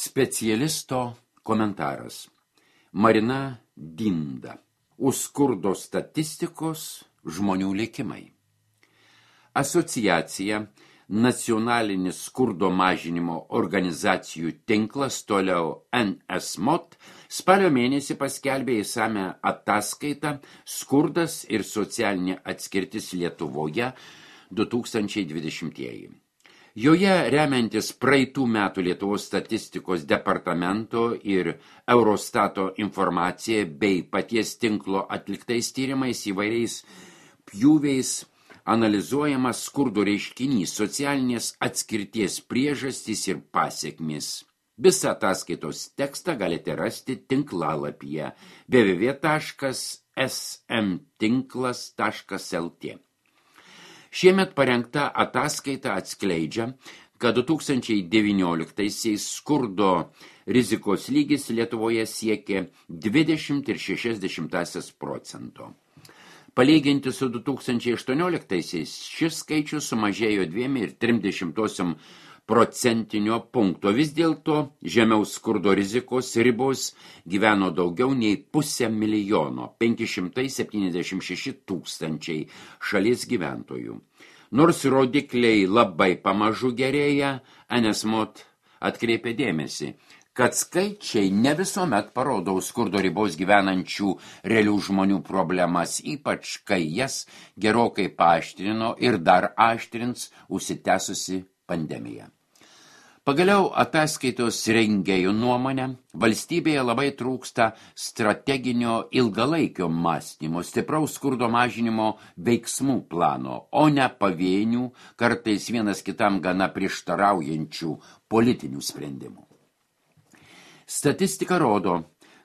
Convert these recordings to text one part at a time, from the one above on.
Specialisto komentaras. Marina Dinda. Už skurdo statistikos žmonių likimai. Asociacija Nacionalinis skurdo mažinimo organizacijų tinklas, toliau NSMOT, spalio mėnesį paskelbė įsame ataskaitą Skurdas ir socialinė atskirtis Lietuvoje 2020. Joje remiantis praeitų metų Lietuvos statistikos departamento ir Eurostato informacija bei paties tinklo atliktais tyrimais įvairiais pjūviais analizuojamas skurdo reiškinys, socialinės atskirties priežastys ir pasekmės. Visą ataskaitos tekstą galite rasti tinklalapyje www.smtinklas.lt. Šiemet parengta ataskaita atskleidžia, kad 2019-aisiais skurdo rizikos lygis Lietuvoje siekė 20,6%. Palyginti su 2018-aisiais šis skaičius sumažėjo 2,3 procentinio punkto. Vis dėlto žemiau skurdo rizikos ribos gyveno daugiau nei 500 000, 576 000 šalies gyventojų. Nors rodikliai labai pamažu gerėja, NSMOT atkreipė dėmesį, kad skaičiai ne visuomet parodo skurdo ribos gyvenančių realių žmonių problemas, ypač kai jas gerokai paaštrino ir dar aštrins užsitęsusi pandemija. Pagaliau ataskaitos rengėjų nuomonė, valstybėje labai trūksta strateginio ilgalaikio mąstymo, stipraus skurdo mažinimo veiksmų plano, o ne pavienių, kartais vienas kitam gana prieštaraujančių politinių sprendimų. Statistika rodo,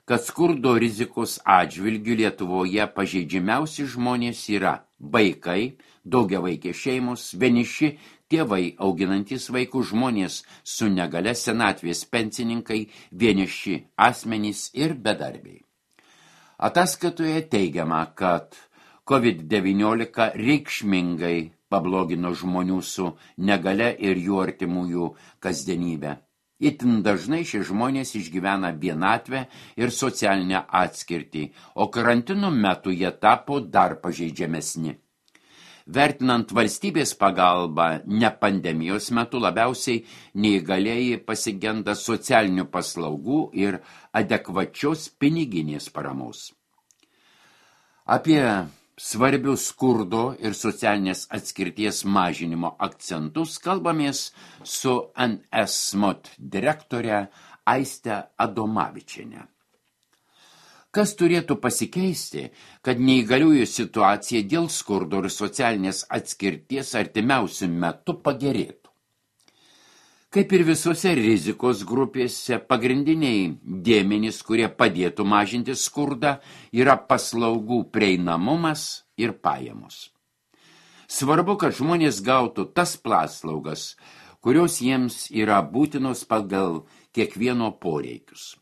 kad skurdo rizikos atžvilgiu Lietuvoje pažeidžiamiausi žmonės yra vaikai, daugiavaikės šeimos, vieniši tėvai auginantys vaikų, žmonės su negale, senatvės pensininkai, vieniši asmenys ir bedarbiai. Ataskaitoje teigiama, kad COVID-19 reikšmingai pablogino žmonių su negale ir jų artimųjų kasdienybę. Itin dažnai šie žmonės išgyvena vienatvę ir socialinę atskirtį, o karantino metu jie tapo dar pažeidžiamesni. Vertinant valstybės pagalbą ne pandemijos metu, labiausiai neįgalieji pasigenda socialinių paslaugų ir adekvačios piniginės paramos. Apie svarbius skurdo ir socialinės atskirties mažinimo akcentus kalbamės su NSMOT direktore Aiste Adomavičiene. Kas turėtų pasikeisti, kad neįgaliųjų situacija dėl skurdo ir socialinės atskirties artimiausiu metu pagerėtų? Kaip ir visose rizikos grupėse, pagrindiniai dėmenys, kurie padėtų mažinti skurdą, yra paslaugų prieinamumas ir pajamos. Svarbu, kad žmonės gautų tas paslaugas, kurios jiems yra būtinos pagal kiekvieno poreikius.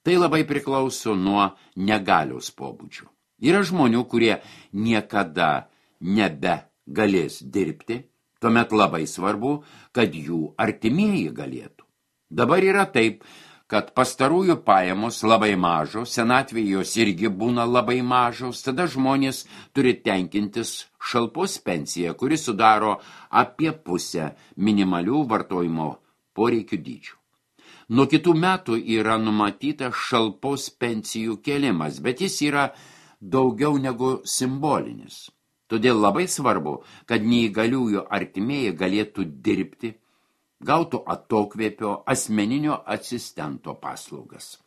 Tai labai priklauso nuo negalios pobūdžio. Yra žmonių, kurie niekada nebegalės dirbti, tuomet labai svarbu, kad jų artimieji galėtų. Dabar yra taip, kad pastarųjų pajamos labai mažos, senatvėje jos irgi būna labai mažos, tada žmonės turi tenkintis šalpos pensiją, kuri sudaro apie pusę minimalių vartojimo poreikių dydžių. Nuo kitų metų yra numatyta šalpos pensijų kėlimas, bet jis yra daugiau negu simbolinis. Todėl labai svarbu, kad neįgaliųjų artimieji galėtų dirbti, gautų atokvėpio asmeninio asistento paslaugas.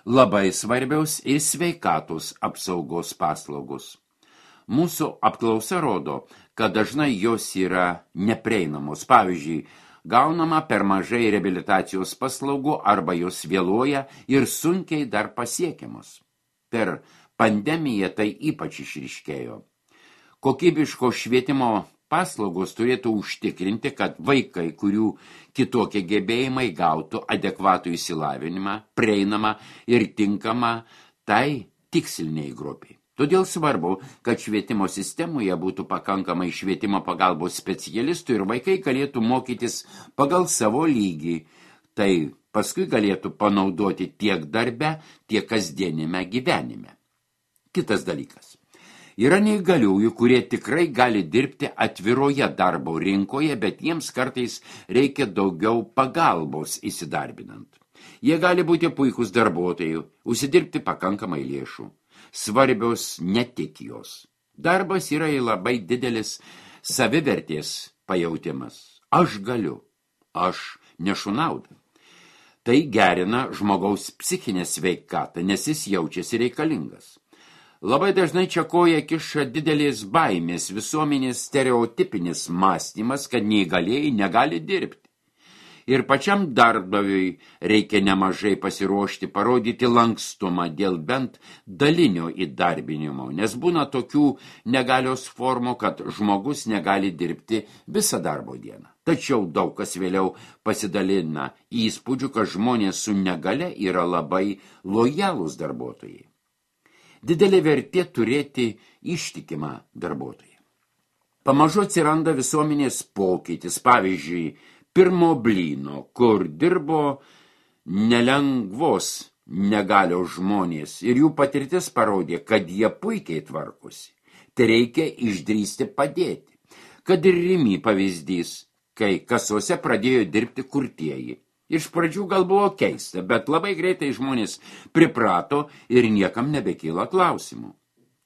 Labai svarbiaus ir sveikatos apsaugos paslaugos. Mūsų apklausa rodo, kad dažnai jos yra neprieinamos. Pavyzdžiui, gaunama per mažai reabilitacijos paslaugų arba jos vėluoja ir sunkiai dar pasiekiamos. Per pandemiją tai ypač išryškėjo. Kokybiško švietimo paslaugos turėtų užtikrinti, kad vaikai, kurių kitokie gebėjimai, gautų adekvatų išsilavinimą, prieinamą ir tinkamą tai tiksliniai grupiai. Todėl svarbu, kad švietimo sistemoje būtų pakankamai švietimo pagalbos specialistų ir vaikai galėtų mokytis pagal savo lygį, Tai paskui galėtų panaudoti tiek darbe, tiek kasdienime gyvenime. Kitas dalykas. Yra neįgaliųjų, kurie tikrai gali dirbti atviroje darbo rinkoje, bet jiems kartais reikia daugiau pagalbos įsidarbinant. Jie gali būti puikūs darbuotojai, užsidirbti pakankamai lėšų. Svarbios ne tik jos. Darbas yra labai didelis savivertės pajautimas. Aš galiu, aš nešu naudą. Tai gerina žmogaus psichinę sveikatą, nes jis jaučiasi reikalingas. Labai dažnai čia koja kiša didelės baimės, visuomenės stereotipinis mąstymas, kad neįgalieji negali dirbti. Ir pačiam darbdaviui reikia nemažai pasiruošti, parodyti lankstumą dėl bent dalinio įdarbinimo, nes būna tokių negalios formų, kad žmogus negali dirbti visą darbo dieną. Tačiau daug kas vėliau pasidalina įspūdžių, kad žmonės su negale yra labai lojalūs darbuotojai. Didelė vertė turėti ištikimą darbuotoją. Pamažu atsiranda visuomenės pokytis, pavyzdžiui, pirmo blyno, kur dirbo nelengvos negalios žmonės ir jų patirtis parodė, kad jie puikiai tvarkosi. Tai reikia išdrįsti padėti. Kad ir Rimi pavyzdys, kai kasose pradėjo dirbti kurtieji. Iš pradžių gal buvo keista, bet labai greitai žmonės priprato ir niekam nebekyla klausimų.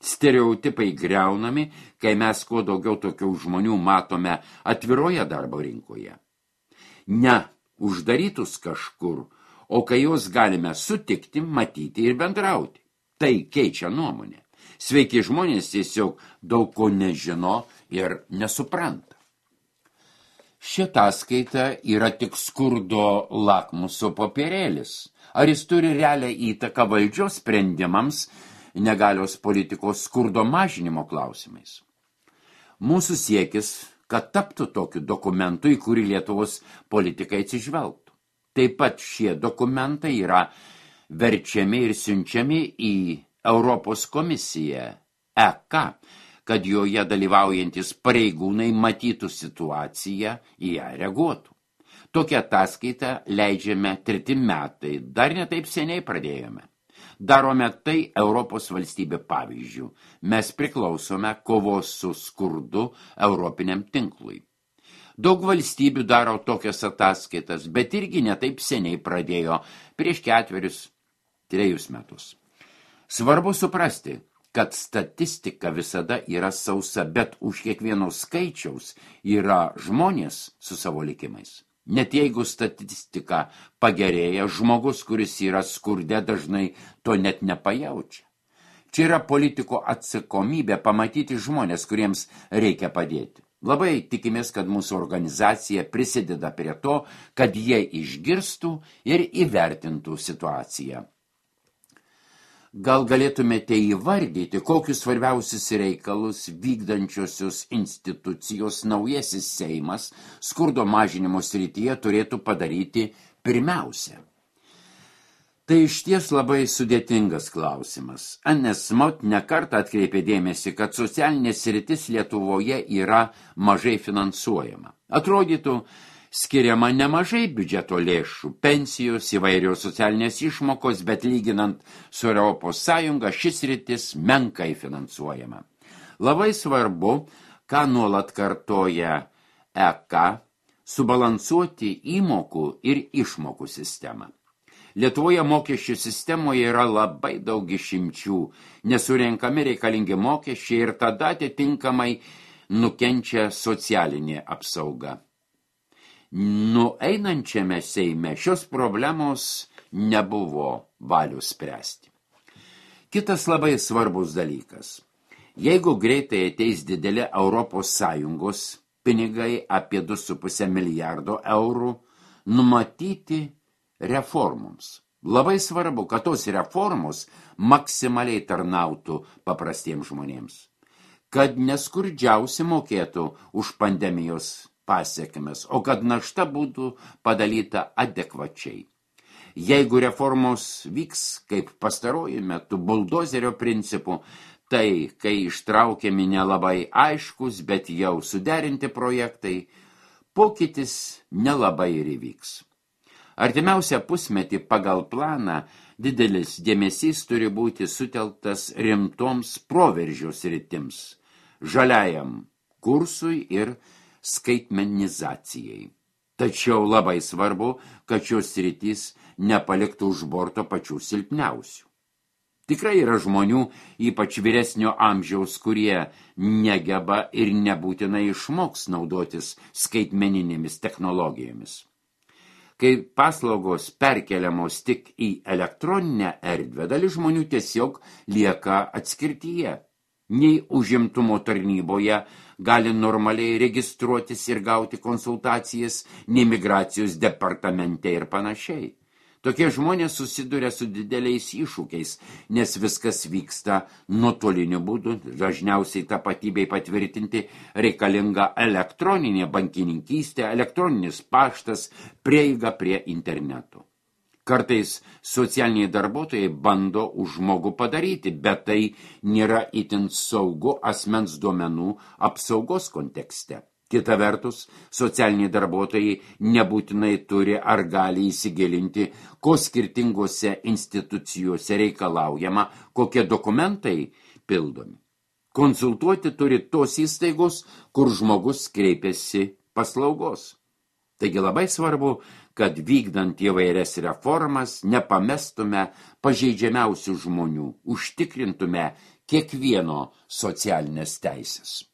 Stereotipai griaunami, kai mes kuo daugiau tokių žmonių matome atviroje darbo rinkoje. Ne uždarytus kažkur, o kai juos galime sutikti, matyti ir bendrauti. Tai keičia nuomonę. Sveiki žmonės tiesiog daug ko nežino ir nesupranta. Ši ataskaita yra tik skurdo lakmuso popierėlis. Ar jis turi realią įtaką valdžios sprendimams negalios politikos skurdo mažinimo klausimais? Mūsų siekis, kad taptų tokiu dokumentu, į kurį Lietuvos politikai atsižvelgtų. Taip pat šie dokumentai yra verčiami ir siunčiami į Europos komisiją, EK, kad joje dalyvaujantis pareigūnai matytų situaciją, į ją reaguotų. Tokią ataskaitą leidžiame 3 metai, dar ne taip seniai pradėjome. Darome tai Europos valstybė pavyzdžių. Mes priklausome kovos su skurdu europiniam tinklui. Daug valstybių daro tokias ataskaitas, bet irgi ne taip seniai pradėjo prieš 4-3 metus. Svarbu suprasti, kad statistika visada yra sausa, bet už kiekvieno skaičiaus yra žmonės su savo likimais. Net jeigu statistika pagerėja, žmogus, kuris yra skurde, dažnai to net nepajaučia. Čia yra politiko atsakomybė pamatyti žmonės, kuriems reikia padėti. Labai tikimės, kad mūsų organizacija prisideda prie to, kad jie išgirstų ir įvertintų situaciją. Gal galėtumėte įvardyti, kokius svarbiausius reikalus vykdančiosios institucijos naujasis Seimas skurdo mažinimo srityje turėtų padaryti pirmiausia? Tai išties labai sudėtingas klausimas. Annes Mot nekartą atkreipė dėmesį, kad socialinė sritis Lietuvoje yra mažai finansuojama. Atrodytų, skiriama nemažai biudžeto lėšų, pensijos, įvairios socialinės išmokos, bet lyginant su Europos Sąjunga šis sritis menkai finansuojama. Labai svarbu, ką nuolat kartoja EK, subalansuoti įmokų ir išmokų sistemą. Lietuvoje mokesčių sistemoje yra labai daug išimčių, nesurenkami reikalingi mokesčiai ir tada atitinkamai nukenčia socialinė apsauga. Nueinančiame Seime šios problemos nebuvo valios spręsti. Kitas labai svarbus dalykas. Jeigu greitai ateis didelė Europos Sąjungos pinigai apie 2,5 milijardo eurų, numatyti reformoms. Labai svarbu, kad tos reformos maksimaliai tarnautų paprastiems žmonėms. Kad neskurdžiausi mokėtų už pandemijos pasiekmes, o kad našta būtų padalyta adekvačiai. Jeigu reformos vyks kaip pastaruoju metu buldozerio principu, tai kai ištraukiami nelabai aiškus, bet jau suderinti projektai, pokytis nelabai ir įvyks. Artimiausią pusmetį pagal planą didelis dėmesys turi būti sutelktas rimtoms proveržio sritims, žaliajam kursui ir skaitmenizacijai. Tačiau labai svarbu, kad šios sritys nepaliktų už borto pačių silpniausių. Tikrai yra žmonių, ypač vyresnio amžiaus, kurie negeba ir nebūtinai išmoks naudotis skaitmeninėmis technologijomis. Kai paslaugos perkeliamos tik į elektroninę erdvę, dalis žmonių tiesiog lieka atskirtyje. Nei užimtumo tarnyboje gali normaliai registruotis ir gauti konsultacijas, nei migracijos departamente ir panašiai. Tokie žmonės susiduria su dideliais iššūkiais, nes viskas vyksta nuotoliniu būdu, dažniausiai tapatybei patvirtinti reikalinga elektroninė bankininkystė, elektroninis paštas, prieiga prie interneto. Kartais socialiniai darbuotojai bando už žmogų padaryti, bet tai nėra itin saugu asmens duomenų apsaugos kontekste. Kita vertus, socialiniai darbuotojai nebūtinai turi ar gali įsigilinti, ko skirtingose institucijose reikalaujama, kokie dokumentai pildomi. Konsultuoti turi tos įstaigos, kur žmogus kreipiasi paslaugos. Taigi labai svarbu, kad vykdant įvairias reformas nepamestume pažeidžiamiausių žmonių, užtikrintume kiekvieno socialinės teisės.